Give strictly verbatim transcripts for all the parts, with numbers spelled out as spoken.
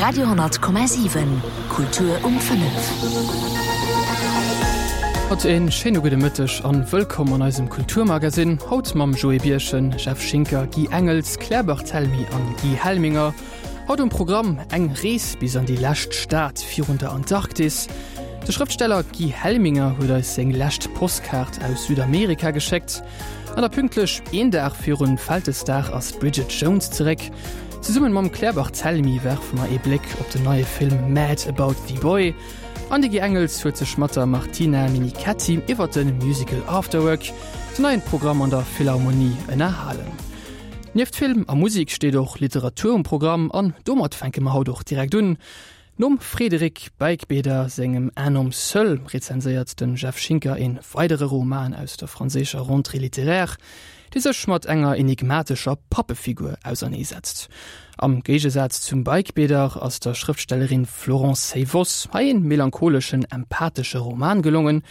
Radio honnert Komma siwen, Kultur um fënnef. Haut een schéine gudde Mëtteg an wëllkomm an eisem Kulturmagazin. Haut mam Joé Birchen, Jeff Schinker, Guy Engels, Claire Barthelmy an Guy Helminger. Haut um Programm eng Rees bis an déi lescht Stad virun der Antarktis. De Schrëftsteller Guy Helminger huet eis seng lescht Postkaart aus Südamerika geschéckt. An da pünktlech een Dag virun Vältesdag ass d'Bridget Jones zeréck. Zesummen mam Claire Barthelmy werfe mer ee Bléck op den neie Film Mad About the Boy. An de Guy Engels huet sech mat der Martina Menichetti iwwer de Musical Afterwork, den neien Programm an der Philharmonie, ënnerhalen. Nieft Film a Musek steet och Literatur um Programm an domat fänke mer haut och direkt un. Nom Frédéric Beigbeder sengem Un homme seul rezenséiert den Jeff Schinker een weidere Roman aus der franséischer Rentrée littéraire, déi sech mat enger enigmatescher Pappefigur auserneesetzt. Am Géigesaz zum Beigbeder ass der Schrëftstellerin Florence Seyvoss hei een melancholeschen, empathesche Roman gelongen,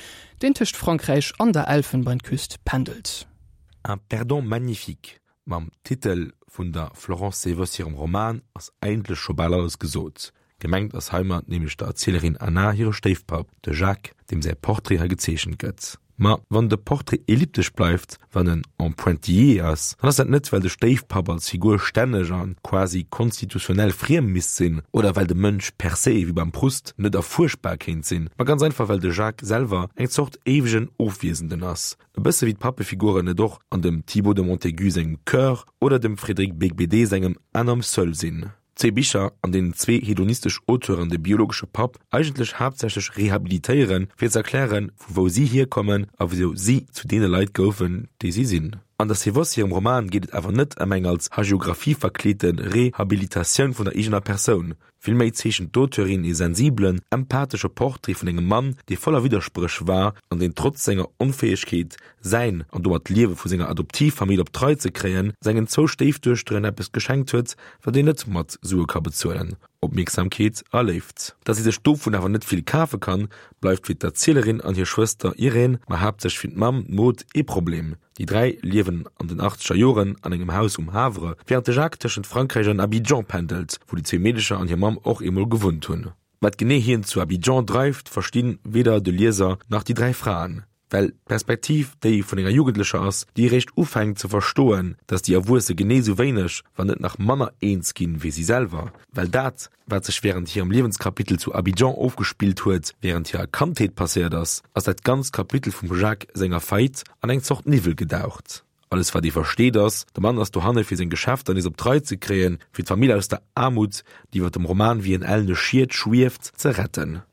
deen tëscht Frankräich an der Elfenbeinküst pendelt. Un perdant magnifique, mam Titel vun der Florence Seyvoss hirem Roman ass eigentlech scho bal alles gesot. Gemengt ass heimat nämlech der Erzielerin Anna hire Stéifpapp, de Jacques, deem säi Portrait hei gezeechent gëtt. Ma wann de Portrait elliptesch bleift, wann en en pointillé ass, dann ass dat net, well de Stéifpapp als Figur stänneg a quasi konstitutionell friem misst sinn oder well de Mënsch per se, wéi beim Proust, net erfuerschbar kéint sinn, ma ganz einfach well de Jacques selwer eng Zort éiwegen Ofwiesenden ass, e bësse wéi d'Pappefiguren et och an dem Thibaut de Montaigu sengem Chœur oder dem Frédéric Beigbeder sengem Un homme seul sinn. Zwee Bicher, an deenen zwee hedonistesch Auteuren de biologesche Papp eigentlech haaptsächlech rehabilitéieren, fir ze erklären, vu wou si hierkommen a wisou si zu deene Leit goufen, déi si sinn. An der Seyvoss hirem Roman geet et awer net ëm eng als Hagiographie verkleete Rehabilitatioun vun der eegener Persoun. Villméi zeechent d'Auteurin ee sensibelen, empathesche Portrait vun engem Mann, dee voller Widderspréch war an deen trotz senger Onfäegkeet, säin an domat d'Liewe vu senger Adoptivfamill op d'Rei ze kréien, sengen zwou Stéifduechteren eppes geschenkt huet, wat een net mat Sue ka bezuelen, Opmierksamkeet a Léift. Datt si sech dovun awer net vill kafe kann, bleift fir d'Erzielerin an hir Schwëster Irène, ma haaptsächlech fir d'Mamm, d'Maud, ee Problem. Déi dräi liewen an den achtzeger Joren an engem Haus um Havre, wärend de Jacques tëschent Frankräich an Abidjan pendelt, wou déi zwee Meedecher an hir Mamm och eemol gewunnt hunn. Wat genee hien zu Abidjan dreift, verstinn weder de Lieser nach déi dräi Fraen. Well d'Perspektiv déi vun enger Jugendlecher ass, déi eréischt ufänkt ze verstoen, dass déi Erwuesse genee sou wéineg, wann net nach manner eens ginn, wéi si selwer. Well dat, wat sech wärend hirem Liewenskapitel zu Abidjan ofgespillt huet, wärend hirer Kandheet passéiert ass, ass dat ganzt Kapitel vum Jacques senger Faillite an eng Zort Niwwel gedaucht. Alles wat ee versteet ass, de Mann ass dohanne fir seng Geschäfter nees op d'Rei ze kréien, fir d'Famill aus der Aarmut, déi iwwer dem Roman wéi en ellene Schiet schwieft, ze retten.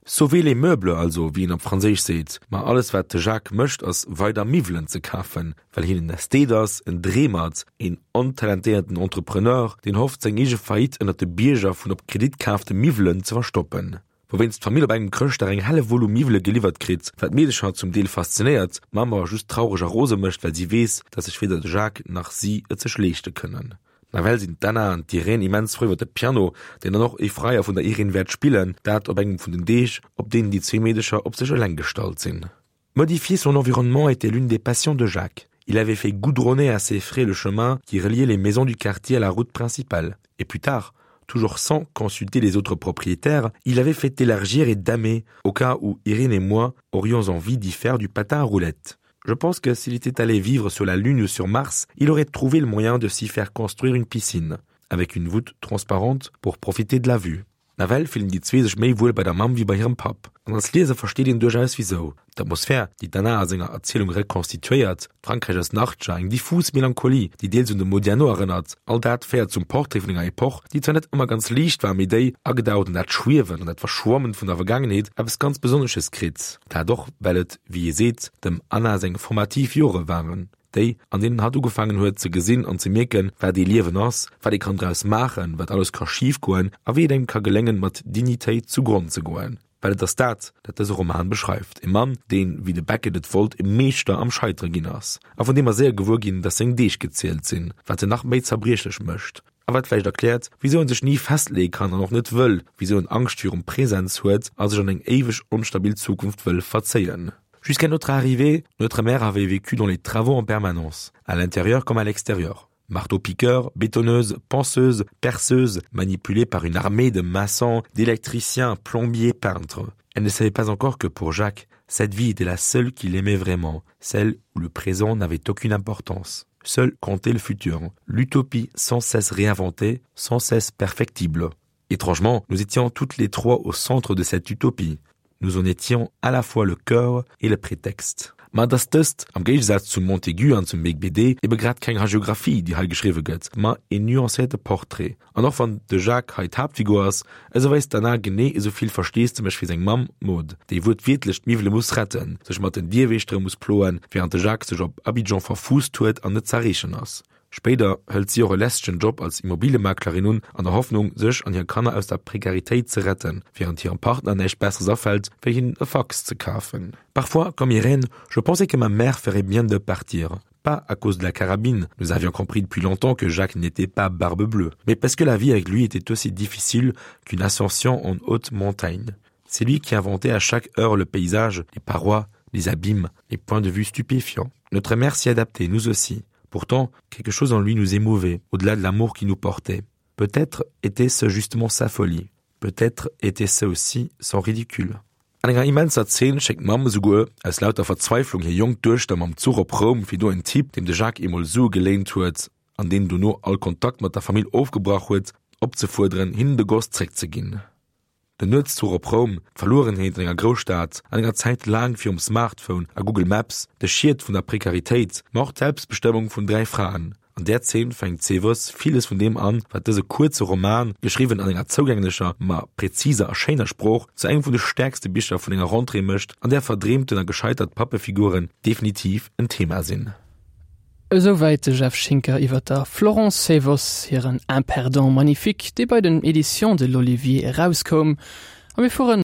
Sauver les meubles also, wéi een op Franséisch seet. Ma alles wat de Jacques mécht ass weider Miwwelen ze kafen, well hien en Ästhet ass, en Dreemert, een ontalentéierten Entrepreneur, deen hofft seng eege Faillite ënnert de Bierger vun op Kredit kaafte Miwwelen ze verstoppen. Wouwéinst d'Famill op engem Chrëschtdag eng Hellewull u Miwwele geliwwert kritt, wat d'Meedecher zum Deel faszinéiert, d'Mamm awer just traureg a rose mécht, well si weess, dass sech weder de Jacques nach si et sech leeschte kënnen. Nawell sinn d'Anna an d'Irène immens frou iwwer de Piano, deen dann och ee Freier vun der Irène wäert spillen, dat op engem vun den Deeg, op deenen déi zwee Meedecher op sech eleng gestallt sinn. Modifier son environnement était l'une des passions de Jacques. Il avait fait goudronner à ses frais le chemin qui reliait les maisons du quartier à la route principale. Et plus tard, toujours sans consulter les autres propriétaires, il avait fait élargir et damer, au cas où Irène et moi aurions envie d'y faire du patin à roulettes. Je pense que s'il était allé vivre sur la Lune ou sur Mars, il aurait trouvé le moyen de s'y faire construire une piscine, avec une voûte transparente pour profiter de la vue. Nawell fillen déi zwee sech méi wuel bei der Mamm wéi bei hirem Papp. An als Lieser versteet een duerchaus wisou. D'Atmosphär, déi d'Anna a senger Erzielung rekonstituéiert, d'Frankräich aus den Achtzeger, eng diffus Melancholie, déi deels un de Modiano erënnert, all dat féiert zum Portrait vun enger Epoch, déi zwar net ëmmer ganz liicht war, mee déi, agedaucht an dat Schwiewen an dat Verschwammen vun der Vergaangenheet, eppes ganz Besonnesches kritt. Dat och, well et, wéi ee seet, dem Anna seng formativ Jore waren, déi, an deenen hatt ugefaangen huet ze gesinn an ze mierken, wat ee Liewen ass, wat ee kann draus maachen, wat alles ka schif goen a wéi et engem ka geléngen, mat Dignitéit zu Gronn ze goen. Well et ass dat, dat dëse Roman beschreift, e Mann, deen, wéi de Beckett et wollt, e Meeschter am Scheitere ginn ass a vun deem mer séier gewuer ginn, dass seng Deeg gezielt sinn, wat en nach méi zerbriechlech mécht a wat vläicht erkläert, wisou en sech ni festleeë kann an och net wëll, wisou en Angscht virum Presens huet a sech an eng éiweg onstabil Zukunft wëll verzéien. Jusqu'à notre arrivée, notre mère avait vécu dans les travaux en permanence, à l'intérieur comme à l'extérieur. Marteau-piqueur, bétonneuse, ponceuse, perceuse, manipulée par une armée de maçons, d'électriciens, plombiers, peintres. Elle ne savait pas encore que pour Jacques, cette vie était la seule qu'il aimait vraiment, celle où le présent n'avait aucune importance. Seul comptait le futur, l'utopie sans cesse réinventée, sans cesse perfectible. Étrangement, nous étions toutes les trois au centre de cette utopie. Nous en étions à la fois le cœur et le prétexte. Ma et ass dëst, am Géigesaz zum Montaigu an zum Beigbeder, ebe grad keng Hagiographie, déi hei geschriwwe gëtt, ma en nuancéierte Portrait. An och wann de Jacques hei d'Haaptfigur ass, esou weist d'Anna genee esou vill Versteesdemech wéi seng Mamm Maud, déi wuertwiertlech d'Miwwele muss retten, sech mat den Dierwieschtere muss ploen, wärend de Jacques sech op Abidjan verfuusst huet an net z'erreechen ass. Spéider hëlt si och e lästegen Job als Immobiliemaklerin un, an der Hoffnung, sech an hir Kanner aus der Prekaritéit ze retten, wärend hirem Partner näischt Besseres afält, wéi hinnen e Fax ze kafen. Parfois, comme Irène, je pensais que ma mère ferait bien de partir. Pas à cause de la carabine, nous avions compris depuis longtemps que Jacques n'était pas barbe bleue, mais parce que la vie avec lui était aussi difficile qu'une ascension en haute montagne. C'est lui qui inventait à chaque heure le paysage, les parois, les abîmes, les points de vue stupéfiants. Notre mère s'y adaptait, nous aussi. Pourtant, quelque chose en lui nous émouvait, au-delà de l'amour qui nous portait. Peut-être était-ce justement sa folie. Peut-être était-ce aussi son ridicule. An enger immenser Zeen schéckt d'Mamm esouguer aus lauter Verzweiflung hir jonk Duechter mam Zuch op Roum, fir do en Typ, deem de Jacques eemol Sue geléint huet an deen dono all Kontakt mat der Famill ofgebrach huet, opzefuerderen, hinnen de Goss zréckzeginn. Den Nuetszuch op Roum, d'Verluerenheet an enger Grousstad, an enger Zäit laang virum Smartphone a Google Maps, de Schiet vun der Prekaritéit, ma och d'Selbstbestëmmung vun dräi Fraen. An där Zeen fänkt d'Seevoss villes vun deem an, wat dëse kuerze Roman, geschriwwen an enger zougänglecher, ma präziser a schéiner Sprooch, zu engem vun de stäerkste Bicher vun enger Rentrée mécht, an där verdreemten a gescheitert Pappefiguren definitiv en Thema sinn. Esouwäit de Jeff Schinker iwwer der Florence Seyvoss hiren Un perdant magnifique, dee bei den Éditions de l'Olivier erauskoum. A mir fueren